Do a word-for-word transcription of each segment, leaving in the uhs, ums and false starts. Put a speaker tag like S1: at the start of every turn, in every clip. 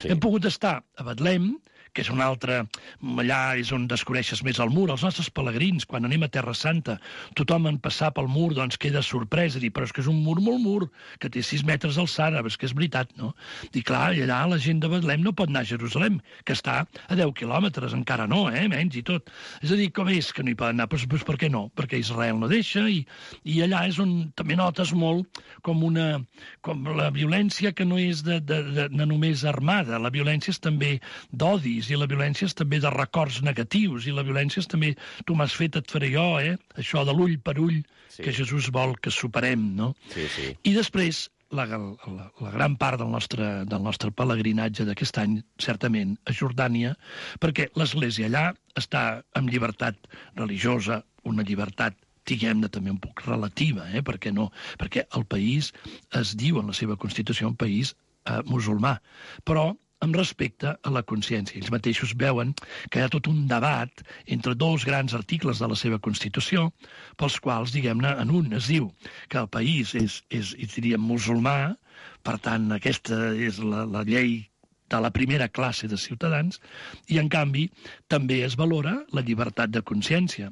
S1: Sí. Hem pogut estar a Betlem, que és un altre... Allà és on descobreixes més el mur. Els nostres pelegrins, quan anem a Terra Santa, tothom en passar pel mur doncs queda sorprès i dir, però és que és un mur molt mur, que té sis metres d'alçada, és que és veritat, no? I clar, i allà la gent de Betlem no pot anar a Jerusalem, que està a deu quilòmetres, encara no, eh, menys i tot. És a dir, com és que no hi poden anar? Doncs, doncs per què no? Perquè Israel no deixa i, i allà és on també notes molt com una... com la violència que no és de, de, de, de només armada, la violència és també d'odi, i la violència és també de records negatius, i la violència és també, tu m'has fet, et faré jo, eh? Això de l'ull per ull, sí. Que Jesús vol que superem, no?
S2: Sí, sí.
S1: I després, la, la, la gran part del nostre, del nostre pelegrinatge d'aquest any, certament, a Jordània, perquè l'Església allà està en llibertat religiosa, una llibertat diguem-ne també un poc relativa, eh? Perquè no? Perquè el país es diu en la seva Constitució un país eh, musulmà, però amb respecte a la consciència. Ells mateixos veuen que hi ha tot un debat entre dos grans articles de la seva Constitució, pels quals, diguem-ne, en un es diu que el país és, és, és diríem, musulmà, per tant, aquesta és la, la llei de la primera classe de ciutadans, i en canvi també es valora la llibertat de consciència.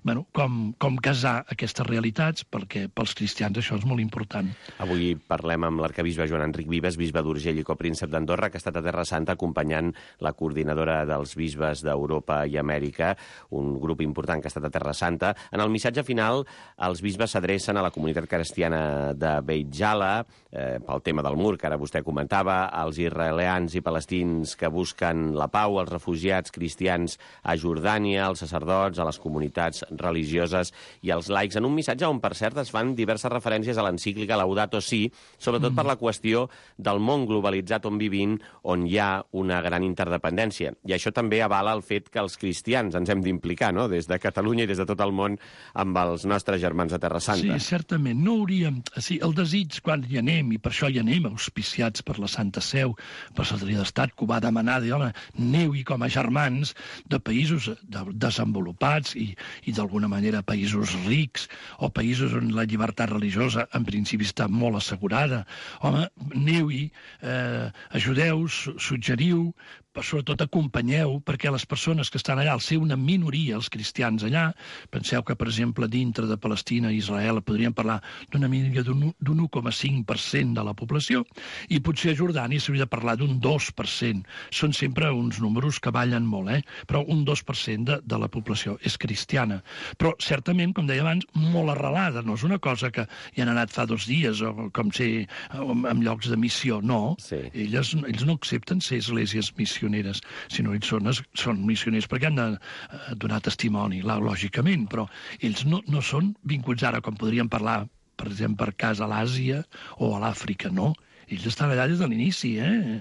S1: Bueno, com, com casar aquestes realitats, perquè pels cristians això és molt important.
S2: Avui parlem amb l'arcabisbe Joan Enric Vives, bisbe d'Urgell i copríncep d'Andorra, que ha estat a Terra Santa acompanyant la coordinadora dels bisbes d'Europa i Amèrica, un grup important que ha estat a Terra Santa. En el missatge final, els bisbes s'adrecen a la comunitat cristiana de Beit Jala, eh, pel tema del mur que ara vostè comentava, als israelians i palestins que busquen la pau, als refugiats cristians a Jordània, als sacerdots, a les comunitats religioses i als laics, en un missatge on, per cert, es fan diverses referències a l'encíclica Laudato Si, sobretot mm. per la qüestió del món globalitzat on vivim, on hi ha una gran interdependència. I això també avala el fet que els cristians ens hem d'implicar, no?, des de Catalunya i des de tot el món, amb els nostres germans de Terra Santa.
S1: Sí, certament. No hauríem... Sí, el desig, quan hi anem, i per això hi anem, auspiciats per la Santa Seu, per la Secretaria d'Estat, que ho va demanar, de, home, aneu-hi com a germans de països de, desenvolupats i i d'alguna manera països rics o països on la llibertat religiosa en principi està molt assegurada. Home, aneu-hi, eh, ajudeu, suggeriu, però sobretot acompanyeu, perquè les persones que estan allà, al ser una minoria, els cristians allà, penseu que, per exemple, dintre de Palestina i Israel podríem parlar d'una minoria d'un un coma cinc per cent de la població, i potser a Jordània s'hauria de parlar d'un dos per cent. Són sempre uns números que ballen molt, eh? Però un dos per cent de, de la població és cristiana. Però, certament, com deia abans, molt arrelada. No és una cosa que hi han anat fa dos dies, o com ser en llocs de missió. No,
S2: sí.
S1: Elles, ells no accepten ser esglésies missioners, sinó ells són, són missioners perquè han de eh, donar testimoni, lògicament, però ells no, no són vinculats ara, com podríem parlar, per exemple, per cas a l'Àsia o a l'Àfrica, no. Ells estan allà des de l'inici, eh?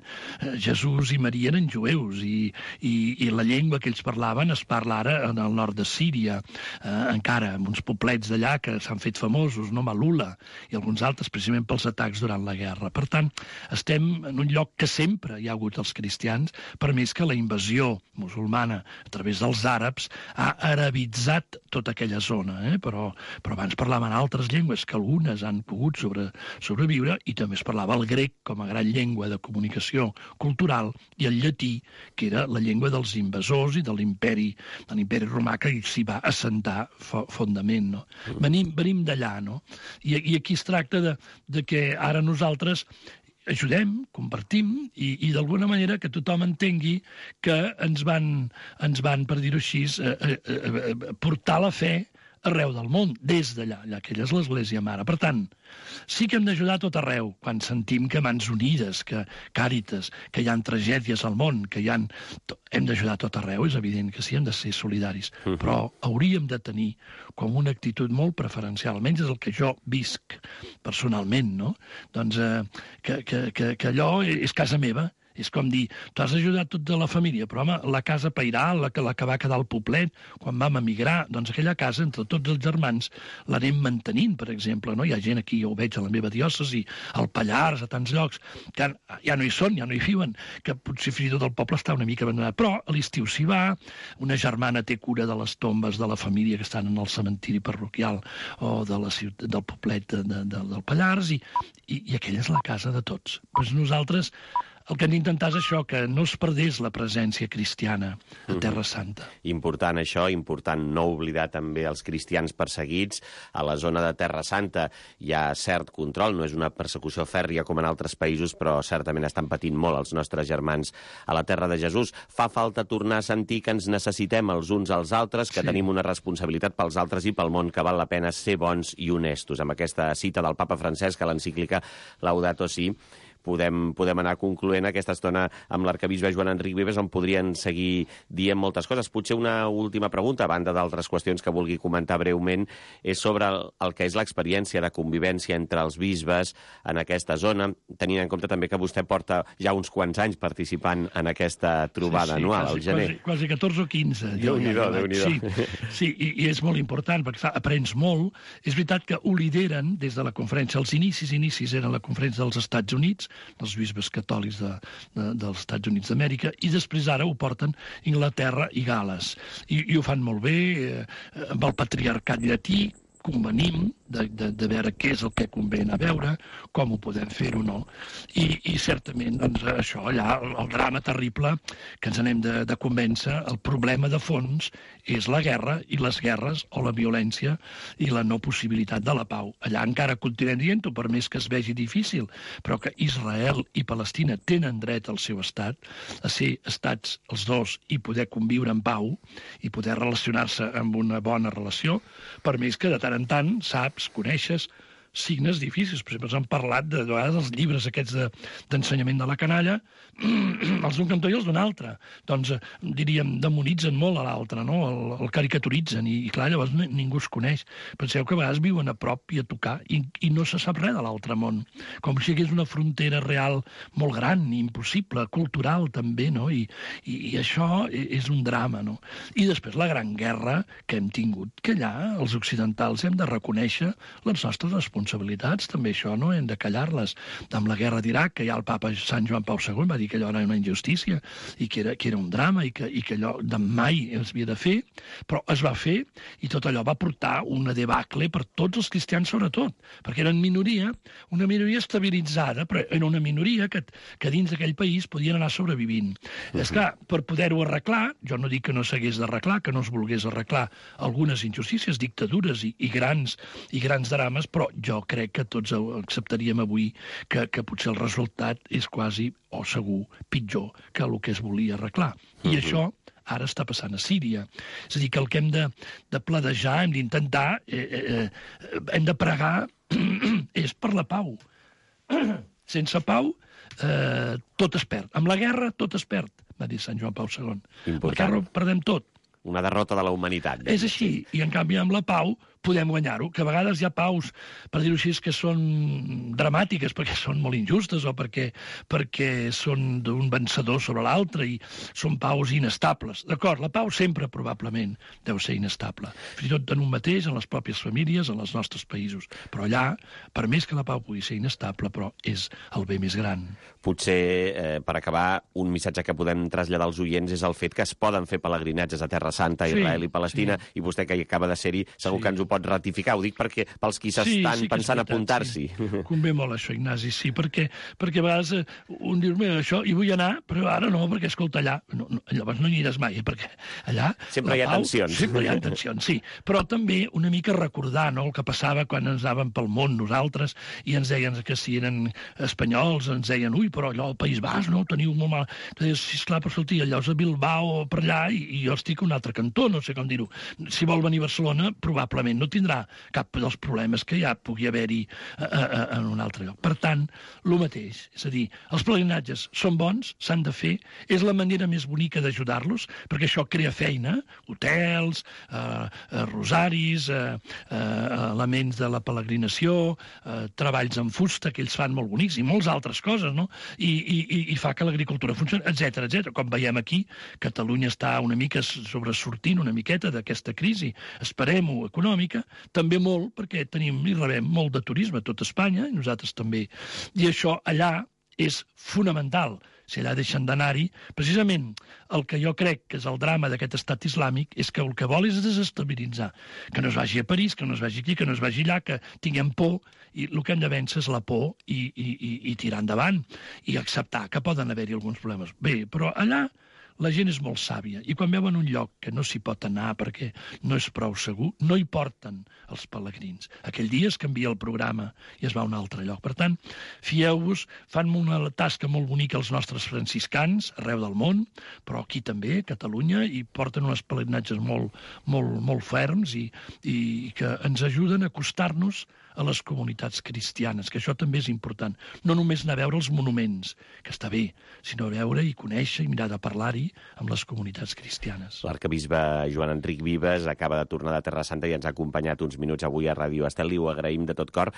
S1: Jesús i Maria eren jueus i, i, i la llengua que ells parlaven es parla ara en el nord de Síria, eh, encara, amb uns poblets d'allà que s'han fet famosos, no? Malula i alguns altres, precisament pels atacs durant la guerra. Per tant, estem en un lloc que sempre hi ha hagut els cristians, per més que la invasió musulmana a través dels àrabs ha arabitzat tota aquella zona, eh? però, però abans parlaven altres llengües que algunes han pogut sobre, sobreviure, i també es parlava el grec com a gran llengua de comunicació cultural, i el llatí, que era la llengua dels invasors i de l'imperi, de l'imperi romà, que s'hi va assentar fondament, no? Venim, venim d'allà, no? I, I aquí es tracta de, de que ara nosaltres ajudem, compartim, i, i d'alguna manera que tothom entengui que ens van, ens van per dir-ho així, eh, eh, eh, portar la fe arreu del món, des d'allà, allà que ella és l'Església Mare. Per tant, sí que hem d'ajudar a tot arreu, quan sentim que Mans Unides, que Càritas, que hi ha tragèdies al món, que hi ha... Hem d'ajudar a tot arreu, és evident que sí, hem de ser solidaris, uh-huh. però hauríem de tenir com una actitud molt preferencial, almenys és el que jo visc personalment, no? Doncs eh, que, que, que, que allò és casa meva. És com dir, tu has ajudat tota la família, però home, la casa pairal, la que, la que va quedar al poblet, quan vam emigrar, doncs aquella casa, entre tots els germans, l'anem mantenint, per exemple, no? Hi ha gent aquí, jo ho veig a la meva diòcesi, al Pallars, a tants llocs, que ja no hi són, ja no hi viuen, que potser fins i tot el poble està una mica abandonat, però a l'estiu s'hi va, una germana té cura de les tombes de la família que estan en el cementiri parroquial o de la ciutat, del poblet de, de, de, del Pallars, i, i, i aquella és la casa de tots. Doncs nosaltres el que hem d'intentar és això, que no es perdés la presència cristiana a Terra Santa.
S2: Important això, important no oblidar també els cristians perseguits. A la zona de Terra Santa hi ha cert control, no és una persecució fèrria com en altres països, però certament estan patint molt els nostres germans a la Terra de Jesús. Fa falta tornar a sentir que ens necessitem els uns als altres, que sí. tenim una responsabilitat pels altres i pel món, que val la pena ser bons i honestos. Amb aquesta cita del papa Francesc a l'encíclica Laudato Si, Podem, podem anar concloent aquesta estona amb l'arcabisbe Joan Enric Vives, on podrien seguir dient moltes coses. Potser una última pregunta, a banda d'altres qüestions que vulgui comentar breument, és sobre el, el que és l'experiència de convivència entre els bisbes en aquesta zona, tenint en compte també que vostè porta ja uns quants anys participant en aquesta trobada sí, sí, anual,
S1: quasi,
S2: al gener.
S1: Quasi, quasi catorze o quinze.
S2: Déu-n'hi-do, ja, Déu-n'hi-do.
S1: Sí, sí i, i és molt important, perquè clar, aprens molt. És veritat que ho lideren des de la conferència. Els inicis, inicis eren la conferència dels Estats Units, dels bisbes catòlics de, de, dels Estats Units d'Amèrica, i després ara ho porten Inglaterra i Gal·les. I, i ho fan molt bé, eh, amb el patriarcat llatí, convenim de, de, de veure què és el que convé anar a veure, com ho podem fer o no. I, i certament, doncs, això, allà, el, el drama terrible que ens anem de, de convèncer, el problema de fons és la guerra i les guerres o la violència i la no possibilitat de la pau. Allà encara continuem dient-ho, per més que es vegi difícil, però que Israel i Palestina tenen dret al seu estat, a ser estats els dos i poder conviure en pau i poder relacionar-se amb una bona relació, per més que de tant en tant saps, coneixes signes difícils. Per exemple, s'han parlat de, de vegades dels llibres aquests de, d'ensenyament de la canalla, els d'un cantó i els d'un altre. Doncs, diríem, demonitzen molt a l'altre, no? El, el caricaturitzen, i, i clar, llavors ningú es coneix. Penseu que a vegades viuen a prop i a tocar, i, i no se sap res de l'altre món. Com si hi hagués una frontera real molt gran, impossible, cultural també, no? I, i, i això és un drama, no? I després la gran guerra que hem tingut, que allà els occidentals hem de reconèixer les nostres responsabilitats. responsabilitats, també això, no? Hem de callar-les. Amb la guerra d'Iraq, que ja el papa Sant Joan Pau segon va dir que allò era una injustícia i que era, que era un drama i que, i que allò de mai es havia de fer, però es va fer i tot allò va portar una debacle per tots els cristians sobretot, perquè eren minoria, una minoria estabilitzada, però era una minoria que, que dins d'aquell país podien anar sobrevivint. Uh-huh. És clar, per poder-ho arreglar, jo no dic que no s'hagués d'arreglar, que no es volgués arreglar algunes injustícies, dictadures i, i, grans, i grans drames, però jo Jo crec que tots acceptaríem avui que, que potser el resultat és quasi, o segur, pitjor que el que es volia arreglar. I uh-huh. això ara està passant a Síria. És a dir, que el que hem de, de pladejar, hem d'intentar, eh, eh, hem de pregar, és per la pau. Sense pau, eh, tot es perd. Amb la guerra, tot es perd, va dir Sant Joan Pau segon. Amb la guerra perdem tot.
S2: Una derrota de la humanitat.
S1: És així, i en canvi amb la pau podem guanyar-ho, que a vegades hi ha paus, per dir-ho així, que són dramàtiques perquè són molt injustes o perquè, perquè són d'un vencedor sobre l'altre i són paus inestables. D'acord, la pau sempre probablement deu ser inestable, fins i tot en un mateix, en les pròpies famílies, en els nostres països. Però allà, per més que la pau pugui ser inestable, però és el bé més gran.
S2: Potser, eh, per acabar, un missatge que podem traslladar als oients és el fet que es poden fer pelegrinatges a Terra Santa, Israel sí, i Palestina, sí. I vostè que hi acaba de ser-hi segur sí. que ens ho pot ratificar. Ho dic perquè pels qui s'estan sí, sí pensant veritat, apuntar-s'hi.
S1: Sí. Convé molt això, Ignasi, sí, perquè, perquè a vegades eh, un diu, mira, això hi vull anar, però ara no, perquè escolta, allà, no, no, llavors no hi aniràs mai, eh, perquè allà...
S2: Sempre hi ha pau, tensions.
S1: Sempre hi ha tensions, sí. Però també una mica recordar, no?, el que passava quan ens anàvem pel món nosaltres i ens deien que si eren espanyols, ens deien, ui, però allò al País Basc, no?, ho teniu molt mal. Dius, sisplau, però escolti, allò és a Bilbao o per allà i, i jo estic a un altre cantó, no sé com dir-ho. Si vol venir a Barcelona, probablement no tindrà cap dels problemes que ja pugui haver-hi a, a, en un altre lloc. Per tant, el mateix. És a dir, els pelegrinatges són bons, s'han de fer, és la manera més bonica d'ajudar-los, perquè això crea feina, hotels, eh, eh, rosaris, eh, eh, elements de la peregrinació, eh, treballs en fusta, que ells fan molt bonics, i moltes altres coses, no? I, i, i fa que l'agricultura funcioni, etcètera, etcètera. Com veiem aquí, Catalunya està una mica sobresortint una miqueta d'aquesta crisi, esperem-ho, econòmica, també molt, perquè tenim i rebem molt de turisme a tot Espanya, i nosaltres també. I això allà és fonamental, si allà deixen d'anar-hi, precisament el que jo crec que és el drama d'aquest estat islàmic és que el que vol és desestabilitzar, que no es vagi a París, que no es vagi aquí, que no es vagi allà, que tinguem por, i el que hem de vèncer és la por i, i, i, i tirar endavant, i acceptar que poden haver-hi alguns problemes. Bé, però allà la gent és molt sàvia, i quan veuen un lloc que no s'hi pot anar perquè no és prou segur, no hi porten els pelegrins. Aquell dia es canvia el programa i es va a un altre lloc. Per tant, fieu-vos, fan una tasca molt bonica els nostres franciscans arreu del món, però aquí també, a Catalunya, i porten uns pelegrinatges molt, molt, molt ferms i, i que ens ajuden a acostar-nos a les comunitats cristianes, que això també és important. No només anar a veure els monuments, que està bé, sinó a veure i conèixer i mirar de parlar-hi amb les comunitats cristianes.
S2: L'arcabisbe Joan Enric Vives acaba de tornar de Terra Santa i ens ha acompanyat uns minuts avui a Ràdio Estel, i ho agraïm de tot cor.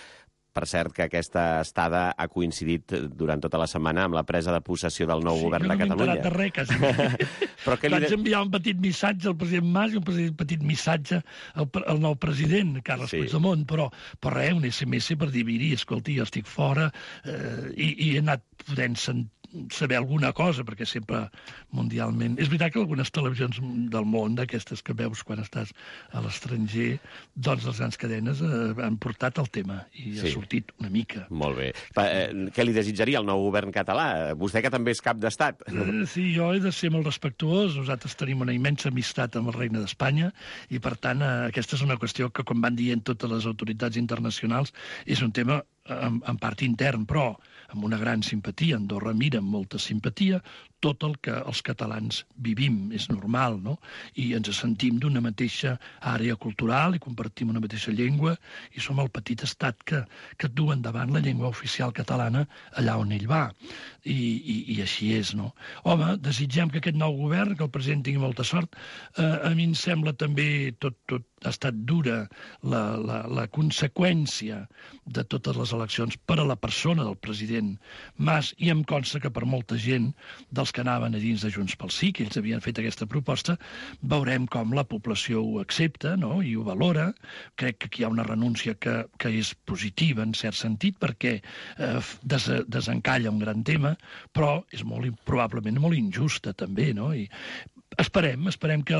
S2: Per cert, que aquesta estada ha coincidit durant tota la setmana amb la presa de possessió del nou
S1: sí,
S2: govern de Catalunya.
S1: Sí, jo no m'he enterat de res, quasi. Però que li... Vaig enviar un petit missatge al president Mas i un petit missatge al, al nou president, Carles sí. Puigdemont, però, però res, un esse eme esse per dir, miri, escolti, jo estic fora, eh, i, i he anat podent sentir saber alguna cosa, perquè sempre mundialment... És veritat que algunes televisions del món, d'aquestes que veus quan estàs a l'estranger, doncs les grans cadenes eh, han portat el tema i sí. ha sortit una mica.
S2: Molt bé. Pa, eh, què li desitjaria al nou govern català? Vostè que també és cap d'estat.
S1: Eh, sí, jo he de ser molt respectuós. Nosaltres tenim una immensa amistat amb el Regne d'Espanya i, per tant, eh, aquesta és una qüestió que, com van dient totes les autoritats internacionals, és un tema en, en part intern, però amb una gran simpatia. Andorra mira amb molta simpatia tot el que els catalans vivim, és normal, no? I ens sentim d'una mateixa àrea cultural i compartim una mateixa llengua i som el petit estat que, que du endavant la llengua oficial catalana allà on ell va. I, i, i així és, no? Home, desitgem que aquest nou govern, que el president tingui molta sort. Eh, a mi em sembla també tot, tot ha estat dura la, la, la conseqüència de totes les eleccions per a la persona del president Mas, i em consta que per molta gent dels que anaven a dins de Junts pel Sí, que ells havien fet aquesta proposta, veurem com la població ho accepta, no?, i ho valora. Crec que aquí hi ha una renúncia que, que és positiva, en cert sentit, perquè eh, des, desencalla un gran tema, però és molt, probablement molt injusta, també, no? I Esperem, esperem que,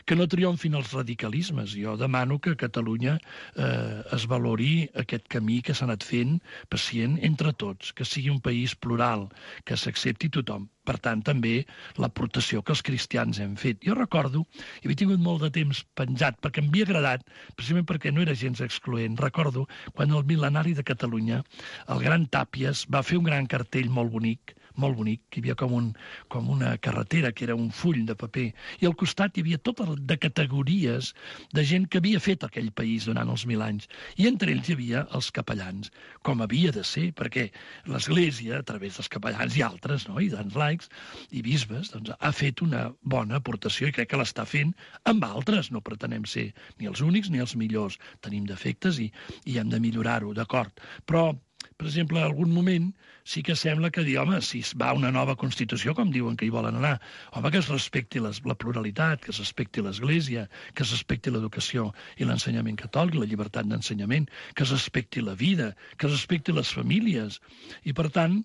S1: que no triomfin els radicalismes. Jo demano que a Catalunya eh, es valori aquest camí que s'ha anat fent pacient entre tots, que sigui un país plural, que s'accepti tothom. Per tant, també l'aportació que els cristians hem fet. Jo recordo, i havia tingut molt de temps penjat, perquè em havia agradat, precisament perquè no era gens excloent, recordo quan el mil·lenari de Catalunya, el gran Tàpies, va fer un gran cartell molt bonic, molt bonic, que hi havia com, un, com una carretera, que era un full de paper, i al costat hi havia totes de categories de gent que havia fet aquell país durant els mil anys, i entre ells hi havia els capellans, com havia de ser, perquè l'Església, a través dels capellans i altres, no?, i dels laics i bisbes, doncs, ha fet una bona aportació, i crec que l'està fent amb altres. No pretenem ser ni els únics ni els millors. Tenim defectes i, i hem de millorar-ho, d'acord. Però per exemple, en algun moment sí que sembla que dir, home, si es va a una nova Constitució, com diuen que hi volen anar, home, que es respecti les, la pluralitat, que es respecti l'Església, que es respecti l'educació i l'ensenyament catòlic, la llibertat d'ensenyament, que es respecti la vida, que es respecti les famílies. I, per tant,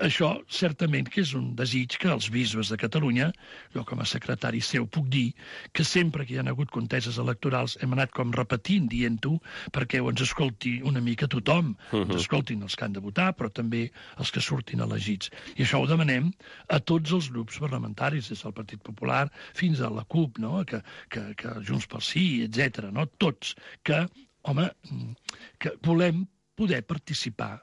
S1: això certament que és un desig que els bisbes de Catalunya, jo com a secretari seu puc dir, que sempre que hi ha hagut conteses electorals hem anat com repetint, dient-ho, perquè ens escolti una mica tothom, uh-huh. ens escoltin els que han de votar, però també els que surtin elegits. I això ho demanem a tots els grups parlamentaris, des del Partit Popular fins a la CUP, no?, que, que, que Junts pel Sí, etcètera, no?, tots, que, home, que volem poder participar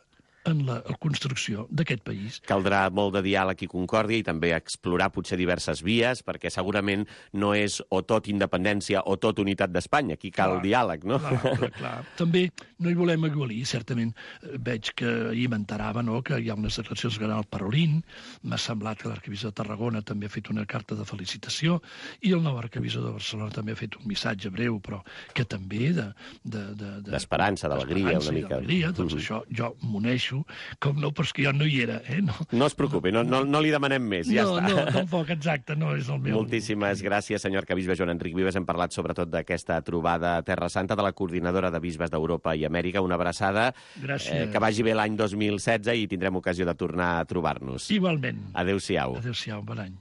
S1: en la, la construcció d'aquest país.
S2: Caldrà molt de diàleg i concòrdia i també explorar potser diverses vies, perquè segurament no és o tot independència o tot unitat d'Espanya. Aquí cal clar, diàleg, no?
S1: Clar, clar, clar. També no hi volem aigualir, certament. Veig que ahir m'enterava, no?, que hi ha unes declaracions que el Parolín, m'ha semblat que l'arquebisbe de Tarragona també ha fet una carta de felicitació i el nou arquebisbe de Barcelona també ha fet un missatge breu, però que també de...
S2: D'esperança, de, de, d'alegria, una mica.
S1: D'alegria, doncs mm-hmm. això jo m'uneixo agraeixo, com no, però és que jo no hi era. Eh? No,
S2: no es preocupi, no, no, no li demanem més, ja
S1: no,
S2: està.
S1: No, tampoc, exacte, no és el meu...
S2: Moltíssimes gràcies, senyor arcabisbe Joan Enric Vives. Hem parlat sobretot d'aquesta trobada a Terra Santa de la Coordinadora de Bisbes d'Europa i Amèrica. Una abraçada, eh, que vagi bé l'any dos mil setze i tindrem ocasió de tornar a trobar-nos.
S1: Igualment.
S2: Adéu-siau.
S1: Adéu-siau, bon any.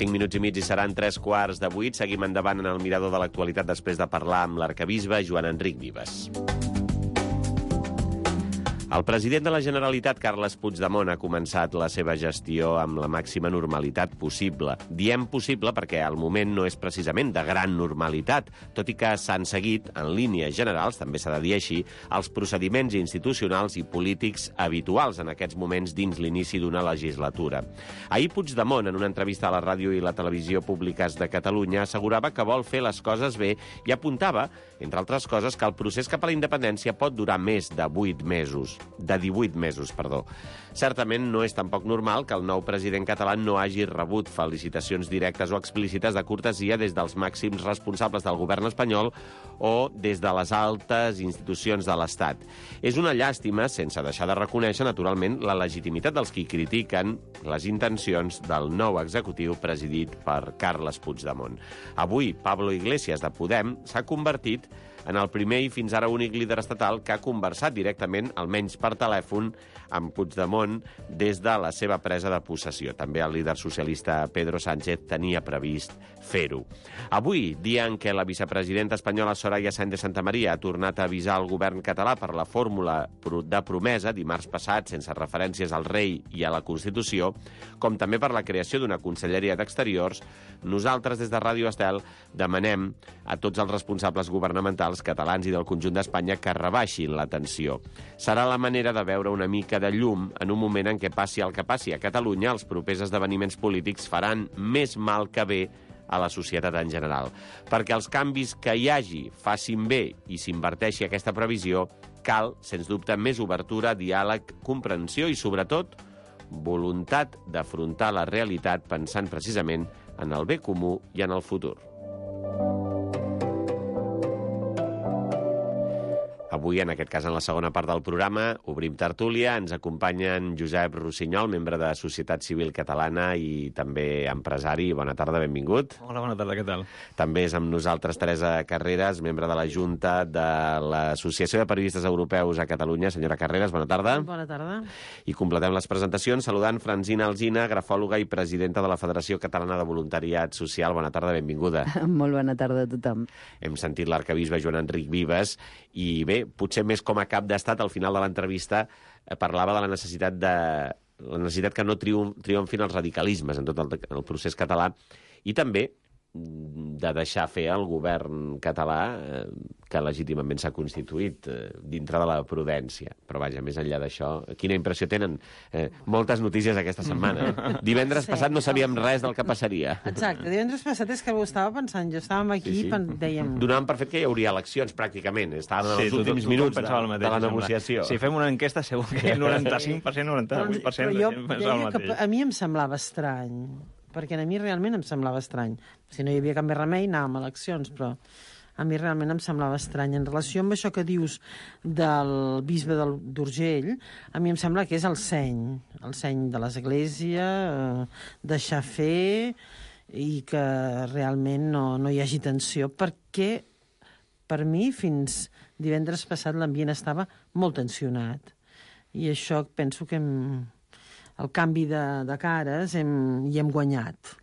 S2: Cinc minuts i mig i seran tres quarts de vuit. Seguim endavant en el mirador de l'actualitat després de parlar amb l'arcabisbe Joan Enric Vives. El president de la Generalitat, Carles Puigdemont, ha començat la seva gestió amb la màxima normalitat possible. Diem possible perquè al moment no és precisament de gran normalitat, tot i que s'han seguit, en línies generals, també s'ha de dir així, els procediments institucionals i polítics habituals en aquests moments dins l'inici d'una legislatura. Ahir Puigdemont, en una entrevista a la ràdio i la televisió públiques de Catalunya, assegurava que vol fer les coses bé i apuntava, entre altres coses, que el procés cap a la independència pot durar més de vuit mesos. de divuit mesos, perdó. Certament no és tampoc normal que el nou president català no hagi rebut felicitacions directes o explícites de cortesia des dels màxims responsables del govern espanyol o des de les altes institucions de l'Estat. És una llàstima, sense deixar de reconèixer, naturalment, la legitimitat dels qui critiquen les intencions del nou executiu presidit per Carles Puigdemont. Avui, Pablo Iglesias, de Podem, s'ha convertit en el primer i fins ara únic líder estatal que ha conversat directament, almenys per telèfon, amb Puigdemont des de la seva presa de possessió. També el líder socialista Pedro Sánchez tenia previst fer-ho. Avui, dia en què la vicepresidenta espanyola Soraya Sáenz de Santamaría ha tornat a avisar el govern català per la fórmula de promesa dimarts passat, sense referències al rei i a la Constitució, com també per la creació d'una conselleria d'Exteriors, nosaltres des de Ràdio Estel demanem a tots els responsables governamentals catalans i del conjunt d'Espanya que rebaixin la tensió. Serà la manera de veure una mica de llum en un moment en què passi el que passi a Catalunya, els propers esdeveniments polítics faran més mal que bé a la societat en general. Perquè els canvis que hi hagi facin bé i s'inverteixi aquesta previsió, cal, sens dubte, més obertura, diàleg, comprensió i, sobretot, voluntat d'afrontar la realitat pensant precisament en el bé comú i en el futur. Avui, en aquest cas, en la segona part del programa, obrim tertúlia. Ens acompanyen Josep Rossinyol, membre de Societat Civil Catalana i també empresari. Bona tarda, benvingut.
S3: Hola, bona tarda, què tal?
S2: També és amb nosaltres Teresa Carreras, membre de la Junta de l'Associació de Periodistes Europeus a Catalunya. Senyora Carreras, bona tarda.
S4: Bona tarda.
S2: I completem les presentacions saludant Francina Alsina, grafòloga i presidenta de la Federació Catalana de Voluntariat Social. Bona tarda, benvinguda.
S5: Molt bona tarda a tothom.
S2: Hem sentit l'arcabisbe Joan Enric Vives i bé, potser més com a cap d'estat, al final de l'entrevista eh, parlava de la necessitat de la necessitat que no triom, triomfin els radicalismes en tot el, el procés català i també de deixar fer el govern català eh, que legítimament s'ha constituït eh, dintre de la prudència. Però vaja, més enllà d'això, quina impressió tenen? Eh, moltes notícies aquesta setmana. Eh? Divendres sí, passat no sabíem res del que passaria.
S4: Exacte, divendres passat és que ho estava pensant, jo estàvem aquí i sí, sí. dèiem...
S2: Donàvem per fet que hi hauria eleccions, pràcticament. Estàvem
S3: sí,
S2: en els últims
S3: tot,
S2: minuts
S3: tot
S2: de,
S3: mateix,
S2: de la negociació.
S3: Si fem una enquesta, segur que el noranta-cinc per cent, noranta-vuit per cent
S4: però,
S3: però
S4: jo deia que a mi em semblava estrany, perquè a mi realment em semblava estrany. Si no hi havia cap més remei, anàvem a eleccions, però a mi realment em semblava estrany. En relació amb això que dius del bisbe d'Urgell, a mi em sembla que és el seny, el seny de l'Església, eh, deixar fer i que realment no, no hi hagi tensió, perquè per mi fins divendres passat l'ambient estava molt tensionat. I això penso que hem... el canvi de, de cares hem, hi hem guanyat.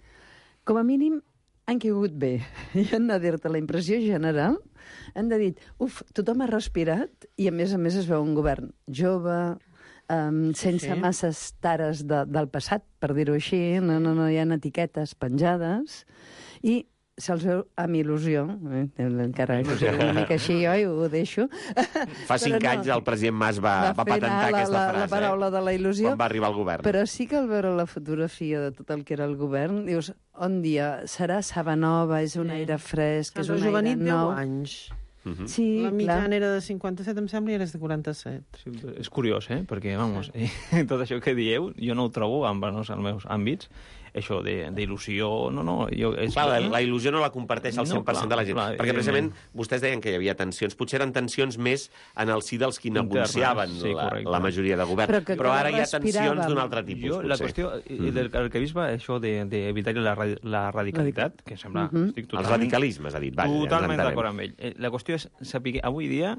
S5: Com a mínim han caigut bé. I han de dir-te la impressió general. Han de dir, uf, tothom ha respirat i a més a més es veu un govern jove, um, sense sí. masses tares de, del passat, per dir-ho així, no, no, no hi ha etiquetes penjades i se'ls veu amb il·lusió, eh? encara il·lusió una mica així, jo i ho deixo.
S2: Fa cinc no, anys el president Mas va, va, va patentar
S5: la,
S2: aquesta
S5: la,
S2: frase,
S5: la paraula de la il·lusió,
S2: quan va arribar al govern.
S5: Però sí que al veure la fotografia de tot el que era el govern, dius, on dia, serà saba nova, és un aire fresc, és un aire nou.
S4: anys.
S2: Uh -huh.
S5: Sí,
S4: la mitjana
S5: clar.
S4: era de cinquanta-set, em sembla, i ara és de quaranta-set.
S3: Sí, és curiós, eh? Perquè, vamos, sí. tot això que dieu, jo no ho trobo en els meus àmbits. això d'il·lusió, no, no. Jo, és...
S2: Clar, la, la il·lusió no la comparteix el cent per cent no, clar, de la gent, clar, perquè precisament vostès deien que hi havia tensions, potser eren tensions més en el si dels qui negociaven sí, la, la majoria de govern, però, però ara hi ha tensions d'un altre tipus, jo,
S3: potser. La qüestió mm. del arquebisbe, això d'evitar de, la, la radicalitat, que sembla... Mm -hmm. estic totalment,
S2: els radicalismes, ha dit. Vaja,
S3: totalment d'acord amb ell. La qüestió és saber, avui dia,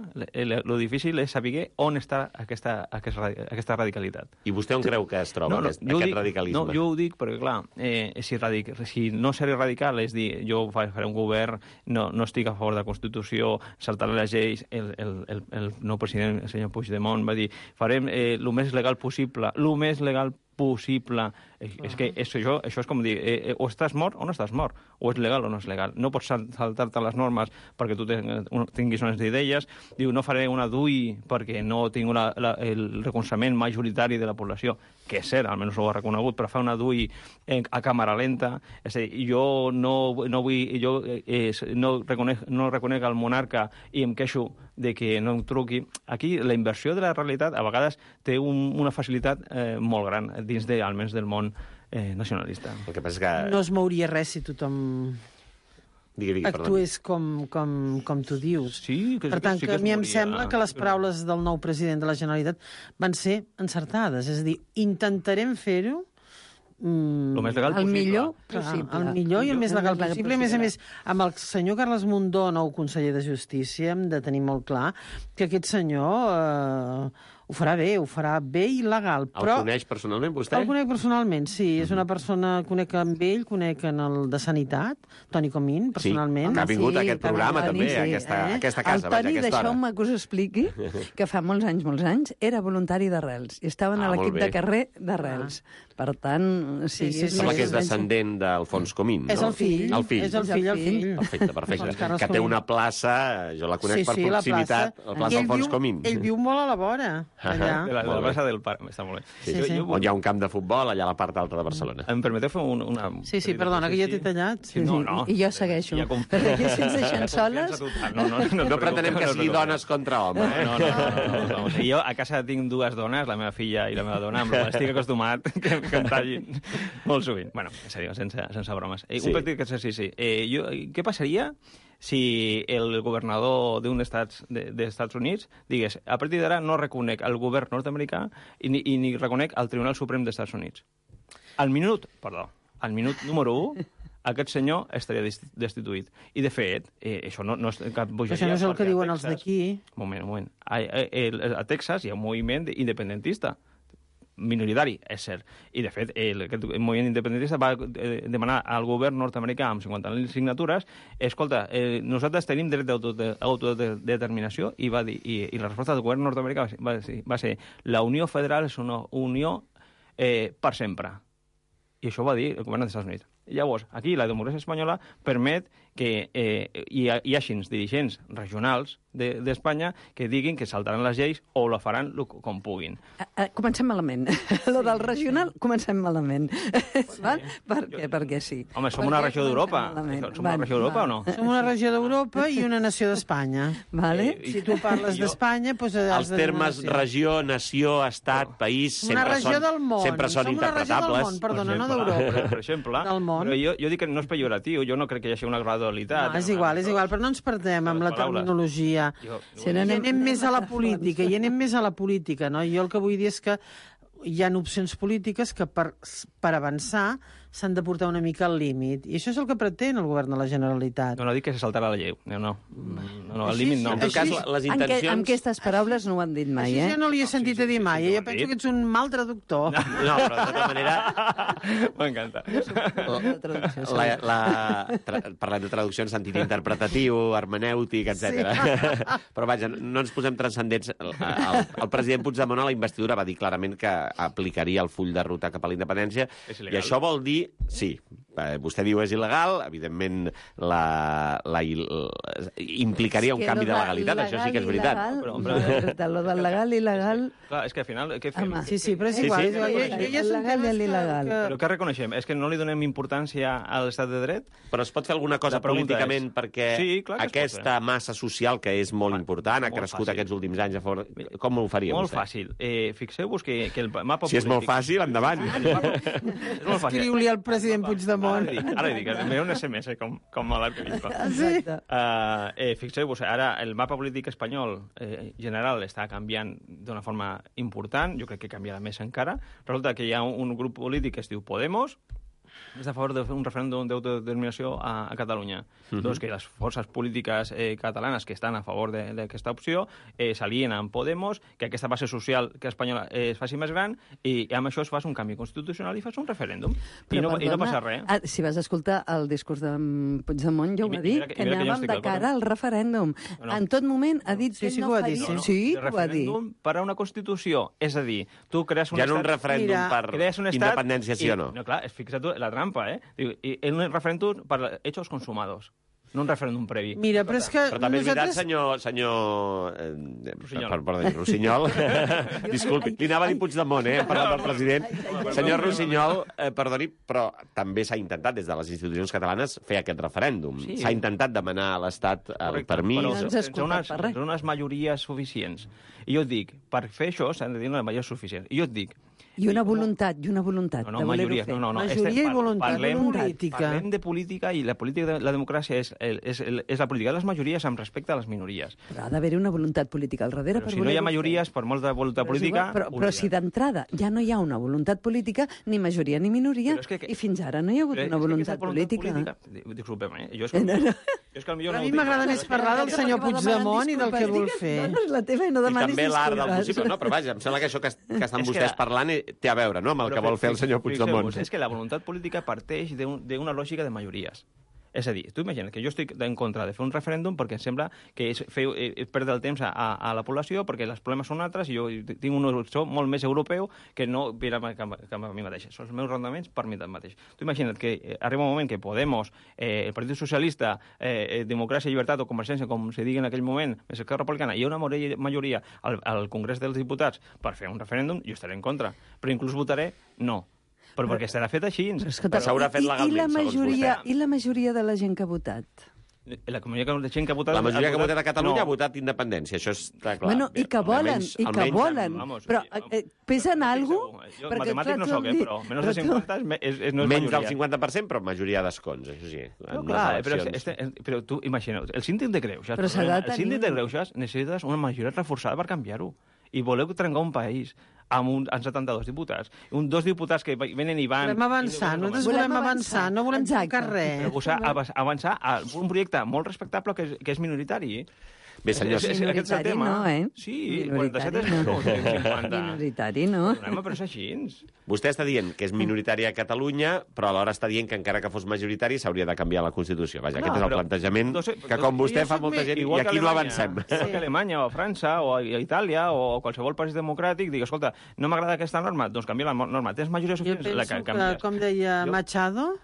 S3: lo difícil és saber on està aquesta, aquesta, aquesta radicalitat.
S2: I vostè on creu que es troba, no, no, aquest, aquest
S3: dic,
S2: radicalisme?
S3: No, jo ho dic perquè, clar, eh, si, radic, si no seré radical, és dir, jo faré un govern, no, no estic a favor de la Constitució, saltaré les lleis, el, el, el, el nou president, el senyor Puigdemont, va dir, farem eh, el més legal possible, el més legal possible. És, és que és, això, això és com dir, eh, o estàs mort o no estàs mort, o és legal o no és legal. No pots saltar-te les normes perquè tu tinguis unes idees. Diu, no faré una D U I perquè no tinc la, la, el recolzament majoritari de la població, que és cert, almenys ho ha reconegut, però fa una D U I a càmera lenta. És a dir, jo no, no vull... Jo eh, no, reconec, no reconec el monarca i em queixo de que no em truqui. Aquí la inversió de la realitat a vegades té un, una facilitat eh, molt gran dins de, almenys del món eh, nacionalista.
S2: El que passa és que...
S4: No es mouria res si tothom
S2: digui, digui,
S4: actués com, com, com tu dius.
S3: Sí, que,
S4: per tant,
S3: sí
S4: que,
S3: que
S4: a mi em
S3: moria.
S4: sembla que les paraules del nou president de la Generalitat van ser encertades. És a dir, intentarem fer-ho
S3: Mm, el més legal
S5: el
S3: possible.
S5: millor
S4: Clar,
S5: possible.
S4: el millor i el més legal
S5: el més
S4: possible. A més a més, amb el senyor Carles Mundó, nou conseller de Justícia, hem de tenir molt clar que aquest senyor eh, ho farà bé, ho farà bé i legal. Però
S2: el coneix personalment, vostè?
S4: El conec personalment, sí. És una persona, conec amb ell, conec en el de Sanitat, Toni Comín, personalment.
S2: Sí, que ha vingut
S5: sí,
S2: a aquest programa, també, sí, a aquesta,
S4: eh?
S2: aquesta casa,
S5: el Toni,
S2: vaja, a aquesta hora.
S5: deixeu-me que us expliqui que fa molts anys, molts anys, era voluntari d'Arrels i estaven
S2: Ah,
S5: a l'equip
S2: molt bé.
S5: de carrer d'Arrels. Per tant, sí,
S4: Sí, sí,
S5: és
S4: sí.
S2: Sembla
S5: més
S2: que és
S5: o menys-
S2: descendent d'Alfons Comín, no?
S4: És el fill.
S2: El fill.
S4: És el fill, el fill.
S2: Perfecte, perfecte.
S4: Alfons Carles
S2: Que té
S4: Comín.
S2: una plaça, jo la conec
S4: Sí,
S2: per
S4: sí, la
S2: proximitat,
S4: plaça.
S2: la plaça
S4: I ell
S2: Alfons
S4: viu-
S2: Comín.
S4: Ell viu molt a la vora, allà.
S3: De la, de
S2: Molt
S3: la
S2: bé.
S3: plaça del parc, està molt bé.
S4: Sí, sí.
S2: On hi ha un camp de futbol, allà a la part alta de Barcelona.
S3: Em permeteu fer un, una...
S4: Sí, sí, perdona, que ja t'he tallat.
S5: Sí,
S3: No,
S5: sí,
S3: no.
S5: I jo segueixo.
S3: Ja com-
S5: Perquè aquí ens deixen soles...
S3: No, no, no,
S2: No pretenem que sigui dones contra home, eh?
S3: No, no, no, no, no. Jo a casa tinc dues dones, la meva filla i la meva dona, amb la qual estic acostumat que, que em tallin molt sovint. Bueno, en sèrio, sense, sense bromes. Eh,
S2: Sí.
S3: Un petit exercici. Eh, jo, què passaria si el governador d'un estats de, de Estats Units digués a partir d'ara no reconec el govern nord-americà i, ni- i ni reconec el Tribunal Suprem dels Estats Units? Al minut, perdó, al minut número u, aquest senyor estaria desti- destituït. I, de fet, eh, això no, no és cap bogeria.
S4: Això no és el que
S3: perquè a
S4: diuen els
S3: Texas-
S4: d'aquí.
S3: Un moment, un moment. A, a, a Texas hi ha un moviment independentista minoritari, és cert. I, de fet, el, aquest moviment independentista va eh, demanar al govern nord-americà amb cinquanta mil signatures escolta, eh, nosaltres tenim dret d'autodeterminació i, va dir, i, i la resposta del govern nord-americà va ser, va ser, va ser la Unió Federal és una unió eh, per sempre. I això ho va dir el govern dels Estats Units. Llavors, aquí la democràcia espanyola permet que eh, hi, ha, hi hagi dirigents regionals d'Espanya de, que diguin que saltaran les lleis o la faran lo, com puguin.
S5: A, a, comencem malament. Sí. Lo del regional, comencem malament. Sí. Val? Per què? Perquè sí.
S3: Home, som
S5: Per
S3: una
S5: què
S3: regió d'Europa.
S5: comencem malament?
S3: Som una regió d'Europa o no?
S4: Som una regió d'Europa i una nació d'Espanya.
S5: Vale?
S3: Eh,
S4: Si tu parles
S3: Jo-
S4: d'Espanya, doncs has
S2: Els
S4: de dir una
S2: termes
S4: nació.
S2: regió, nació, estat, país,
S4: Una
S2: sempre
S4: regió
S2: són,
S4: del món.
S2: sempre són
S4: Som una regió del
S2: interpretables.
S4: món, perdona, no
S3: Per exemple,
S4: d'Europa.
S3: Per exemple,
S4: Del món.
S3: però jo, jo dic que no és pejoratiu, jo no crec que hi hagi una gradualitat.
S4: No, és igual, és igual, però no ens perdem amb la
S3: Les paraules.
S4: terminologia.
S3: Jo,
S5: Si
S4: I
S5: no anem-
S4: anem més a la política, i anem més a la política, no? Jo el que vull dir és que hi ha opcions polítiques que per, per avançar s'han de portar una mica al límit. I això és el que pretén el govern de la Generalitat.
S3: no, no dic que se saltarà la llei. No, no, no, no el
S4: Així
S3: límit
S4: sí,
S3: no.
S2: En tot cas,
S4: Així-
S2: les
S5: En, que,
S2: intencions...
S5: en aquestes paraules no ho han dit mai,
S4: Això
S5: eh?
S4: ja no li he sentit a dir mai.
S3: sí,
S4: Jo
S3: ho han
S4: penso
S3: dit.
S4: que ets un mal traductor.
S2: No, però de tota manera...
S3: M'encanta.
S5: La traducció, sí.
S2: La, la, tra, parlem de traducció en sentit interpretatiu, hermenèutic, etcètera. Sí. Però vaja, no ens posem transcendents. El, el, el president Puigdemont a la investidura va dir clarament que aplicaria el full de ruta cap a la independència.
S3: És
S2: I
S3: il·legal.
S2: això vol dir... Sí, vostè diu és il·legal, evidentment la, la, la, implicaria un canvi de legalitat, això sí que és veritat.
S5: Però, però, de lo del legal i il·legal...
S3: Clar, és que al final... Què fem?
S4: Sí, sí, però és
S2: Sí,
S4: igual.
S2: sí.
S4: Jo, jo, jo, jo
S5: El legal i l'il·legal.
S3: Però què reconeixem? És que no li donem importància a l'estat de dret?
S2: Però es pot fer alguna cosa
S3: La pregunta
S2: políticament
S3: és-
S2: perquè
S3: Sí, clar que es pot
S2: aquesta
S3: fer.
S2: massa social, que és molt
S3: Home,
S2: important, ha
S3: molt
S2: crescut
S3: fàcil.
S2: aquests últims anys a favor... Com ho faria
S3: Molt
S2: vostè?
S3: fàcil. Eh, Fixeu-vos que, que el mapa
S2: Si és molt
S3: polític...
S2: fàcil, endavant.
S3: És molt fàcil.
S4: Escriu-li al president Puigdemont.
S3: Ara li dic, ara li dic, enviaré un S M S com, com a l'arquebisbe.
S5: Exacte.
S3: Uh, eh, Fixeu-vos, ara el mapa polític espanyol eh, general està canviant d'una forma important, jo crec que canviarà més encara. Resulta que hi ha un, un grup polític que es diu Podemos, està a favor de fer un referèndum d'autodeterminació a, a Catalunya. Uh-huh. Doncs que les forces polítiques eh, catalanes que estan a favor d'aquesta opció eh, s'alien amb Podemos, que aquesta base social que espanyola eh, es faci més gran i, i amb això es fa un canvi constitucional i fas un referèndum. I no, I no passa res.
S5: Ah, si vas escoltar el discurs de Puigdemont, ja ho
S3: I
S5: va
S3: mi-
S5: dir,
S3: mira que-
S5: que
S3: mira que jo
S5: anàvem
S3: estic
S5: de
S3: d'acord.
S5: cara al referèndum.
S3: No, no.
S5: En tot moment ha dit
S4: Sí,
S5: que
S4: sí
S5: ell
S4: que
S5: no
S4: ho ha dit,
S5: faria...
S4: sí.
S5: Sí,
S3: de
S5: que ho va dir.
S3: referèndum per a una Constitució. És a dir, tu crees un
S2: Hi ha un
S3: estat...
S2: referèndum
S4: Mira,
S2: per
S3: crees un estat
S2: independència, sí
S3: i,
S2: o no?
S3: No, clar, fixa't tu, la trampa, eh? Diu, i, i un referèndum per hechos consumados, no un referèndum previ.
S4: Mira, però és que
S2: Però també és veritat,
S4: nosaltres...
S2: senyor... senyor eh,
S3: Rossinyol.
S2: per, perdó, Rossinyol. Disculpi, li anava a dir Puigdemont, eh? Hem parlat del president. Senyor Rossinyol, eh, perdoni, però també s'ha intentat des de les institucions catalanes fer aquest referèndum.
S3: Sí.
S2: S'ha intentat demanar a l'Estat el
S3: Correcte,
S2: permís.
S3: però
S5: No ens ha
S3: sense
S5: escoltat
S3: unes,
S5: per res.
S3: sense unes majories suficients. I jo et dic, per fer això s'han de tenir unes majories suficients. I jo et dic...
S5: I una voluntat, i una voluntat
S3: No, no,
S5: de voler-ho
S3: majories,
S5: fer.
S3: no, no, no.
S4: Majoria
S3: Estem-
S4: i voluntat
S3: parlem,
S4: política.
S3: Parlem de política i la política de la democràcia és, és, és la política de les majories amb respecte a les minories.
S5: Però ha d'haver-hi una voluntat política al darrere
S3: Però
S5: per
S3: si no hi ha
S5: voler-ho
S3: majories, per molta voluntat
S5: Però és
S3: política...
S5: igual, Però,
S3: ho
S5: però
S3: dirà.
S5: si d'entrada ja no hi ha una voluntat política, ni majoria ni minoria,
S3: Però és que-
S5: i fins ara no hi ha hagut
S3: Però és
S5: una
S3: que
S5: voluntat
S3: aquesta
S5: política.
S3: política... Disculpem, eh? Jo és que,
S5: No, no.
S3: jo és que potser
S4: A
S3: no
S4: mi
S3: ho dic.
S4: m'agrada més parlar del senyor Puigdemont i del que vol fer.
S5: No, no és la teva i no
S2: I
S5: demanis
S2: també l'art del
S5: disculpes.
S2: possible. No, però vaja, em sembla que això que, est- que estan
S3: És que-
S2: vostès parlant eh, té a veure, no?, amb el
S3: Però
S2: que vol fer el senyor
S3: fixeu-vos,
S2: Puigdemont.
S3: És que la voluntat política parteix d'un- d'una lògica de majories. És a dir, tu imagina't que jo estic en contra de fer un referèndum perquè em sembla que és fer, eh, perdre el temps a, a, a la població perquè els problemes són altres i jo tinc un horitzó molt més europeu que no per a, que, que a mi mateix. Són els meus rendiments per mi mateix. Tu imagina't que eh, arriba un moment que Podemos, eh, el Partit Socialista, eh, Democràcia, Llibertat o Convergència, com se digui en aquell moment, més Esquerra Republicana, hi ha una majoria al, al Congrés dels Diputats per fer un referèndum, jo estaré en contra. Però inclús votaré no. Però perquè estarà fet així.
S5: Però escolta,
S2: S'haurà fet
S5: i- i-
S2: legalment,
S5: i la
S2: segons
S5: majoria,
S2: vostè.
S5: I la majoria de la gent que ha votat?
S3: La comunitat de gent que ha votat...
S2: La majoria que ha votat a Catalunya
S3: no.
S2: ha votat independència, això està clar.
S5: Bueno, i que volen,
S2: Almenys-
S5: i que
S2: almenys-
S5: volen.
S3: Vamos,
S5: Però
S3: sí,
S5: eh, pesen algo?
S3: Jo matemàtic no sóc, eh, però menys de cinquanta és, és, és, no és
S2: Menys del
S3: majoria.
S2: cinquanta per cent, però majoria d'escons, això sí.
S3: No,
S2: en
S3: clar,
S2: les
S3: però,
S2: eleccions.
S3: este, però tu imagina't, el síndic de Greuges,
S5: Però s'ha de
S3: el síndic
S5: tenir-
S3: de Greuges necessites una majoria reforçada per canviar-ho. I voleu trencar un país amb, un, amb setanta-dos diputats. Un, dos diputats que venen i van...
S4: Volem avançar,
S3: i no-
S4: nosaltres
S5: Volem
S4: volem avançar,
S5: avançar,
S4: no volem
S5: exacte.
S4: tocar res.
S3: Però posar, avançar- avançar a un projecte molt respectable que és, que és minoritari.
S2: Bé, senyors,
S3: És- és- aquest és el
S5: Minoritari
S3: tema.
S5: no, eh?
S3: Sí,
S5: Minoritari
S3: quaranta-set és
S5: no.
S3: no. cinquanta.
S5: Minoritari, no?
S3: No, però és així.
S2: vostè està dient que és minoritari a Catalunya, però alhora està dient que encara que fos majoritari s'hauria de canviar la Constitució. Vaja,
S3: No,
S2: aquest és el
S3: però-
S2: plantejament
S3: no sé,
S2: que,
S3: no-
S2: com vostè
S3: jo
S2: fa
S3: soc
S2: molta
S3: més-
S2: gent, i
S3: igual que
S2: aquí no
S3: Alemanya,
S2: avancem.
S3: Igual que Alemanya, o França, o a Itàlia, o qualsevol país democràtic, digue, escolta, no m'agrada aquesta norma, doncs canvia la mo- norma. Tens majoria
S4: Jo
S3: suficient, la
S4: penso
S3: ca-
S4: que,
S3: canvies.
S4: com deia
S3: Jo-
S4: Machado,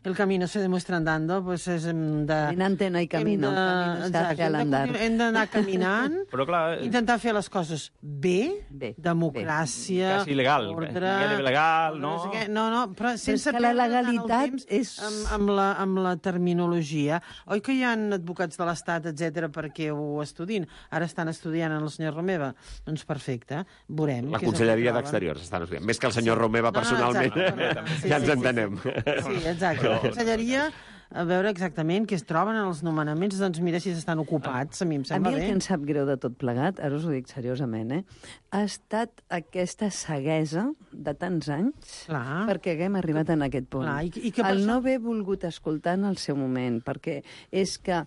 S4: el camino se demuestra andando, pues és hem de...
S5: Caminante no hay camino,
S4: hem de-
S5: camino se
S4: exacte,
S5: hace al
S4: hem de
S5: andar.
S4: continuar- Hem d'anar caminant,
S3: Però clar,
S4: intentar fer les coses bé,
S5: Bé,
S4: democràcia,
S3: quasi legal,
S4: ordre...
S3: gairebé legal, no?
S4: sé què, no, no, però sense
S5: que la
S4: perdre tant el
S5: legalitat
S4: temps
S5: és-
S4: Amb, amb, la, amb la terminologia. Oi que hi ha advocats de l'Estat, etcètera, perquè ho estudin? Ara estan estudiant en el senyor Romeva. Doncs perfecte, veurem.
S2: La
S4: què és el que
S2: Conselleria
S4: troben.
S2: d'Exteriors estan estudiant. Més que el senyor Romeva
S4: No, no,
S2: personalment,
S4: exacte. Sí,
S2: ja ens
S4: sí, sí,
S2: entenem.
S4: Sí, exacte. La Conselleria, a veure exactament què es troben en els nomenaments, doncs mira si estan ocupats, a mi em
S5: A
S4: sembla
S5: mi el
S4: bé.
S5: que em sap greu de tot plegat, ara us ho dic seriosament, eh, ha estat aquesta ceguesa de tants anys
S4: Clar.
S5: perquè haguem arribat en aquest punt.
S4: Clar, i- i que per
S5: el
S4: això-
S5: no haver volgut escoltar en el seu moment, perquè és que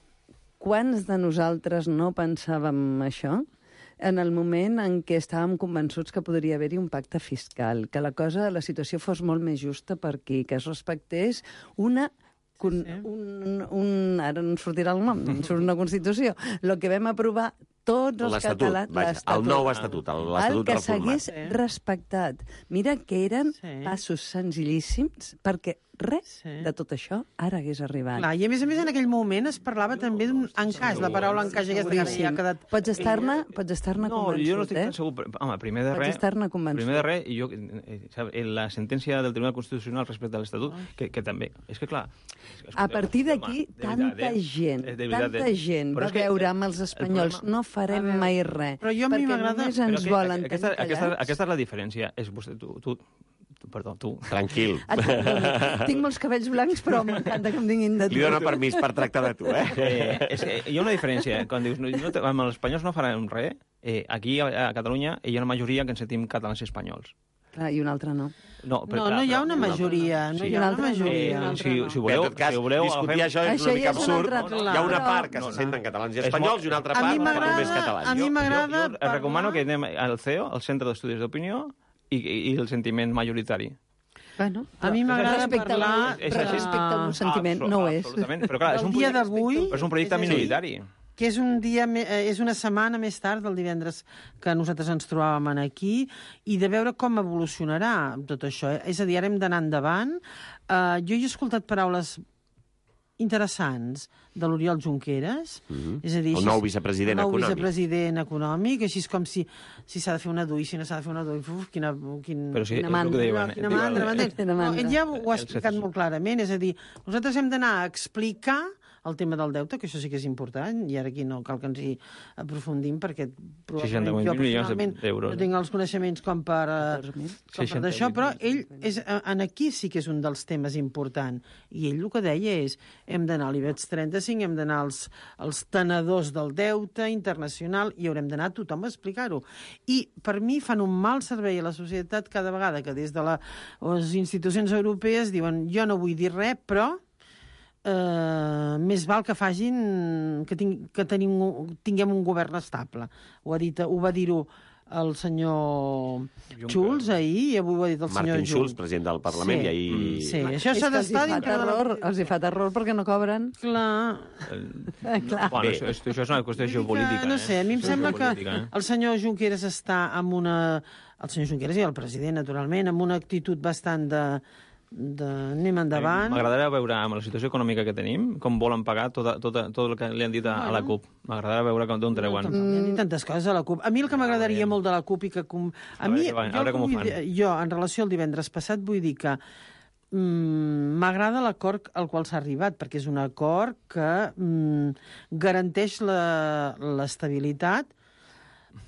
S5: quants de nosaltres no pensàvem això en el moment en què estàvem convençuts que podria haver-hi un pacte fiscal, que la cosa, la situació fos molt més justa per aquí, que es respectés una un,
S4: sí.
S5: un, un, ara no em sortirà el nom, em surt una Constitució, el que vam aprovar tots els
S2: L'Estatut,
S5: catalans...
S2: vaja, el
S5: l'Estatut.
S2: nou Estatut, el-
S5: el
S2: l'Estatut
S5: que
S2: reformat.
S5: s'hagués
S4: Sí.
S5: respectat. Mira que eren
S4: Sí.
S5: passos senzillíssims, perquè res
S4: Sí.
S5: de tot això ara hagués arribat.
S4: Clar, i a més a més en aquell moment es parlava també d'un encaix, la paraula encaix aquesta que ara ja ha quedat...
S5: Pots estar-ne pots estar-ne
S3: No,
S5: convençut,
S3: jo no estic
S5: eh?
S3: tan segur. però, Home, primer de
S5: Pots
S3: res...
S5: estar-ne convençut.
S3: Primer de res, i jo, eh, sap, en la sentència del Tribunal Constitucional respecte a l'Estatut, que, que també... És que, clar... És que,
S5: A partir d'aquí,
S3: home, de veritat,
S5: tanta
S3: eh?
S5: gent,
S3: Eh, de veritat,
S5: tanta
S3: eh?
S5: gent
S3: Però
S5: va
S3: és que
S5: veure
S3: el-
S5: amb els
S3: el
S5: espanyols,
S3: problema-
S5: no farem
S4: A veure,
S5: mai res,
S4: però jo a mi
S5: perquè
S4: m'agrada-
S5: només
S3: Però
S5: ens
S3: que
S5: volen
S3: aquesta,
S5: tenir
S3: aquesta,
S5: callats.
S3: aquesta és la diferència. És vostè, tu, tu, tu, perdó, tu.
S2: Tranquil.
S5: Et perdono. Tinc molts cabells blancs, però m'encanta que em diguin de tu.
S2: Li dono permís per tractar de tu, eh?
S3: Eh, és que hi ha una diferència. Quan dius, no, no, amb els espanyols no farem res, eh, aquí a, a Catalunya hi ha una majoria que ens sentim catalans i espanyols.
S5: Clar, i un altre no.
S3: No, però,
S4: No,
S3: clar,
S4: no hi ha
S3: però-
S4: una majoria, no
S3: Sí.
S4: hi ha una
S5: Un altre no.
S4: majoria.
S3: Eh, si, si
S2: Bé,
S3: voleu,
S2: en tot cas,
S3: si voleu,
S2: discutir
S3: agafem-
S2: això és
S5: Això
S2: una mica
S5: ja és un
S2: absurd.
S5: altre
S2: Hi ha una
S5: clar.
S2: part que
S3: No,
S2: se
S3: no.
S2: senten catalans i
S3: És
S2: espanyols
S3: molt-
S2: i una altra
S4: A
S2: part
S4: mi
S2: que
S4: m'agrada-
S2: només catalans.
S4: a mi
S3: Jo-
S4: m'agrada
S3: Jo, jo
S4: parlar-
S3: recomano que anem al C E O, al Centre d'Estudis d'Opinió, i, i, i el sentiment majoritari.
S5: Bueno,
S4: A mi m'agrada
S5: respecte al-
S4: parlar
S3: És
S5: però
S3: així.
S5: respecte al meu sentiment,
S3: Absol-
S5: no ho és.
S3: Absolutament. Però clar, és
S4: Del
S3: un
S4: dia
S3: projecte,
S4: d'avui,
S3: però és un projecte
S4: és a dir,
S3: minoritari.
S4: que és un dia, me- eh, és una setmana més tard del divendres que nosaltres ens trobàvem aquí, i de veure com evolucionarà tot això. eh? És a dir, ara hem d'anar endavant. Uh, jo he escoltat paraules interessants de l'Oriol Junqueras,
S2: Mhm.
S4: és a dir,
S2: El
S4: així-
S2: nou vicepresident
S4: el nou
S2: econòmic.
S4: vicepresident econòmic, així és com si si s'ha de fer una D U I, si no s'ha de fer una D U I, uf, quina, quin,
S3: Però sí,
S5: Quina
S3: és el
S5: mandra,
S3: que diuen.
S4: quina
S3: diuen-
S4: mandra, m'entens?
S5: Quina
S4: No,
S5: mandra.
S4: ell ja ho ha
S3: El
S4: explicat
S3: sector.
S4: molt clarament, és a dir, nosaltres hem d'anar a explicar el tema del deute, que això sí que és important, i ara aquí no cal que ens hi aprofundim, perquè
S3: seixanta
S4: probablement jo
S3: mil milions
S4: personalment
S3: d'euros.
S4: no tinc els coneixements com per, eh,
S5: catorze mil.
S4: com per
S3: seixanta
S4: d'això,
S3: mil
S4: però
S3: milions.
S4: ell és, eh, en aquí sí que és un dels temes importants, i ell el que deia és hem d'anar a l'IBEX trenta-cinc, hem d'anar als, als tenedors del deute internacional i haurem d'anar a tothom a explicar-ho. I per mi fan un mal servei a la societat cada vegada que des de la, les institucions europees diuen jo no vull dir res, però eh, més val que facin que, ting, que tenim, tinguem un govern estable. Ho, ha dit, ho va dir-ho el senyor
S3: Juncker.
S4: Schulz ahir, i avui ho ha dit el senyor
S2: Martin Schulz,
S4: Juncker.
S2: president del Parlament,
S4: Sí.
S2: i ahir...
S4: Sí, això
S5: És
S4: s'ha
S5: que els hi
S4: d'estar
S5: fa
S4: dintre de la...
S5: terror, els hi fa terror perquè no cobren.
S4: Clar.
S5: Eh, clar.
S3: Bueno, això, això és una qüestió geopolítica.
S4: No
S3: eh?
S4: sé, a mi em
S3: Això és
S4: sembla que
S3: geopolítica, eh?
S4: el senyor Junqueras està amb una... El senyor Junqueras i el president, naturalment, amb una actitud bastant de... de anem endavant.
S3: M'agradaria veure, amb la situació econòmica que tenim, com volen pagar tota, tota, tot el que li han dit a, a la CUP. M'agradaria veure com- d'on treuen.
S4: Hi ha dit tantes coses a la CUP. A mi el que m'agradaria molt de la CUP i que... Com... A,
S3: A
S4: mi,
S3: veure què van- a
S4: jo,
S3: veure
S4: el que
S3: com ho
S4: vull
S3: fan.
S4: dir, jo, en relació al divendres passat, vull dir que mm, m'agrada l'acord al qual s'ha arribat, perquè és un acord que mm, garanteix la- l'estabilitat.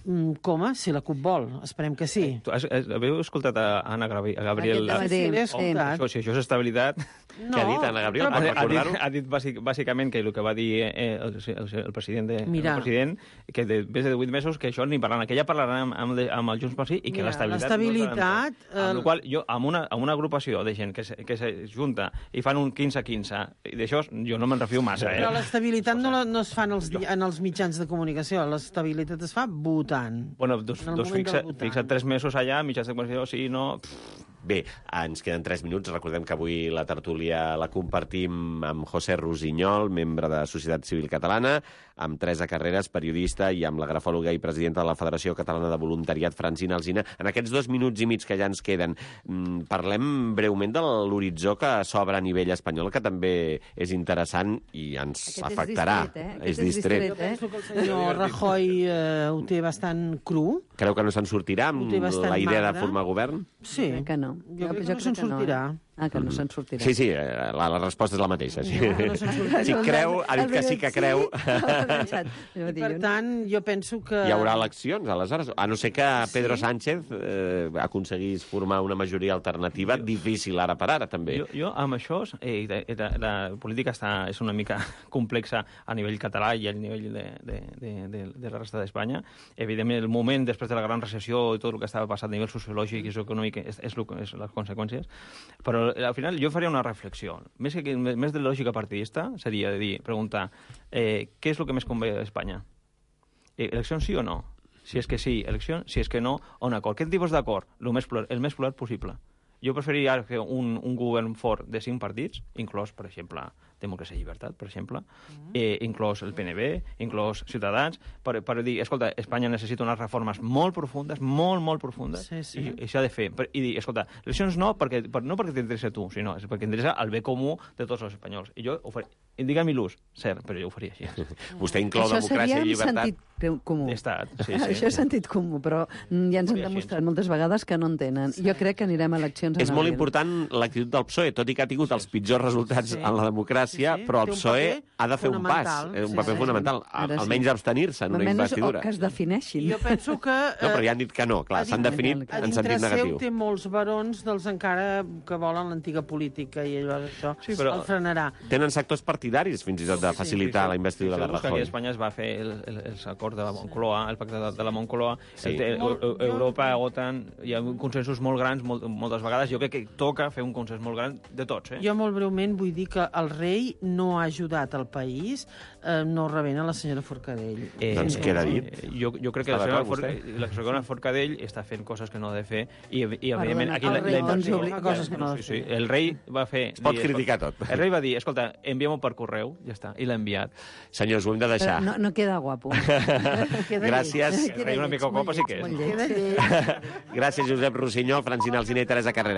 S4: Mm, com a? Si la CUP vol. Esperem que sí.
S3: Tu has, has, haveu escoltat a Anna Gabriel? A Gabriel
S5: Aquest dematí,
S4: Sí, l'he
S5: sí.
S4: escoltat.
S3: Això, si això és estabilitat...
S4: No,
S2: Què ha dit Anna Gabriel?
S4: però-
S2: Per
S3: Ha, ha,
S2: recordar-ho?
S3: dit, ha dit bàsic, bàsicament que el que va dir eh, el, el, el, president de,
S4: Mira.
S3: el president, que de, més de divuit mesos, que això ni parlant, que ja parlaran amb, amb, amb el Junts pel Sí i que
S4: Mira,
S3: l'estabilitat...
S4: l'estabilitat,
S3: No amb
S4: el-
S3: la qual jo, amb una, amb una agrupació de gent que se, que se junta i fan un quinze quinze, i d'això jo no me'n refio massa, eh?
S4: Però l'estabilitat no, la- no es fa en els, di- en els mitjans de comunicació, l'estabilitat es fa votant.
S3: Bueno, doncs,
S4: En el
S3: doncs
S4: moment
S3: fixa,
S4: del votant.
S3: fixa tres mesos allà, mitjans de comunicació, sí, no... Pff,
S2: Bé, ens queden tres minuts. Recordem que avui la tertúlia la compartim amb José Rosinyol, membre de Societat Civil Catalana, amb Teresa Carreras, periodista, i amb la grafòloga i presidenta de la Federació Catalana de Voluntariat, Francina Alsina. En aquests dos minuts i mig que ja ens queden, mm, parlem breument de l'horitzó que s'obre a nivell espanyol, que també és interessant i ens
S5: Aquest és
S2: afectarà.
S5: distret, eh? Aquest
S2: És
S5: és
S2: distret.
S5: distret, eh?
S4: Penso que el senyor Rajoy eh, ho té bastant cru.
S2: Creu que no se'n sortirà amb
S4: Ho té bastant
S2: la idea de
S4: magre.
S2: formar govern?
S4: Sí.
S5: Crec que no.
S4: Jo crec que no se'n sortirà.
S5: Eh? Ah, que no se'n sortirà.
S2: Sí, sí, eh, la, la resposta és la mateixa. Sí.
S4: No, no se'n sortirà.
S2: Si creu, ha dit que sí que creu.
S4: I per tant, jo penso que...
S2: Hi haurà eleccions, aleshores? A no ser que Pedro Sánchez eh, aconseguís formar una majoria alternativa, difícil ara per ara, també.
S3: Jo, jo amb això, eh, la, la política està, és una mica complexa a nivell català i a nivell de, de, de, de, de la resta d'Espanya. Evidentment, el moment després de la gran recessió i tot el que estava passant a nivell sociològic i econòmic és, és, és les conseqüències. Però al final jo faria una reflexió. Més, que, més de lògica partidista seria de dir, preguntar eh, què és el que més convé a Espanya? Eh, eleccions sí o no? Si és que sí, eleccions, si és que no, un acord. Quin tipus d'acord? El més plural, el més plural possible. Jo preferiria fer un, un govern fort de cinc partits, inclòs, per exemple, Democràcia i Llibertat, per exemple, eh, inclòs el P N B, inclòs Ciutadans, per, per dir, escolta, Espanya necessita unes reformes molt profundes, molt, molt profundes,
S4: Sí, sí.
S3: i, i s'ha de fer. Per, I dir, escolta, eleccions no perquè, per, no perquè t'interessa a tu, sinó és perquè interessa el bé comú de tots els espanyols. I jo ho faré. Indica-m'hi l'ús, cert, però jo ho faria així.
S2: Vostè inclou
S5: Això
S2: democràcia
S5: seria
S2: i
S5: en
S2: llibertat.
S5: sentit comú.
S3: Estat, sí, sí.
S5: Això és sentit comú, però ja ens han
S3: Faria així.
S5: demostrat moltes vegades que no en tenen. Jo crec que anirem a eleccions en
S2: És molt
S5: abril.
S2: important l'actitud del P S O E, tot i que ha tingut els pitjors resultats
S4: Sí.
S2: en la democràcia,
S4: Sí, sí.
S2: però el
S4: Té un
S2: P S O E
S4: paper
S2: ha de fer un pas,
S4: fonamental.
S2: eh, un
S4: Sí,
S2: paper
S4: sí.
S2: fonamental, a-
S5: Ara sí.
S2: almenys abstenir-se en una
S5: Almenys,
S2: investidura.
S5: o que es defineixin.
S4: Jo penso que...
S2: No, però ja han dit que no, clar,
S4: a
S2: s'han
S4: dintre-
S2: definit
S4: a
S2: en
S4: dintre
S2: sentit
S4: seu
S2: negatiu.
S4: té molts barons dels encara que volen l'antiga política i allò això
S3: Sí, però-
S4: el frenarà.
S2: Tenen sectors partidaris, fins i tot, de facilitar la investidura de
S3: Fixeu-vos que aquí
S2: Rajoy.
S3: a Espanya es va fer el, el, els acords de la Moncloa, el pacte de, de la Moncloa,
S2: Sí.
S3: el, te-
S4: Molt-
S3: Eu-
S4: jo-
S3: Europa, OTAN, hi ha consensos molt grans molt, moltes vegades. Jo crec que toca fer un consens molt gran de tots, eh?
S4: Jo molt breument vull dir que el rei no ha ajudat al país, eh, no rebent a la senyora Forcadell.
S3: Eh,
S2: Doncs queda dit.
S3: eh, Jo, jo crec que
S2: Està
S3: la senyora,
S2: d'acord,
S3: Forcadell, la senyora Forcadell està fent coses que no ha de fer i, i evidentment,
S5: Perdona,
S3: aquí
S4: el
S3: la,
S4: rei
S3: la,
S4: doncs
S3: la,
S4: obliga coses que no ha de
S3: sí, sí,
S4: fer.
S3: el rei va fer...
S2: Es pot
S3: dir,
S2: criticar
S3: escolta,
S2: tot.
S3: El rei va dir, escolta, enviem-ho per correu, ja està, i l'ha enviat.
S2: Senyors, ho hem de
S5: Però
S2: deixar.
S5: no, no queda guapo.
S4: Queda
S2: Gràcies.
S3: El rei una mica copa sí que és.
S5: Molt
S4: lleig.
S5: lleig.
S4: Queda lleig.
S2: Gràcies, Josep Rossinyol, Francina Alsina i Teresa Carrera.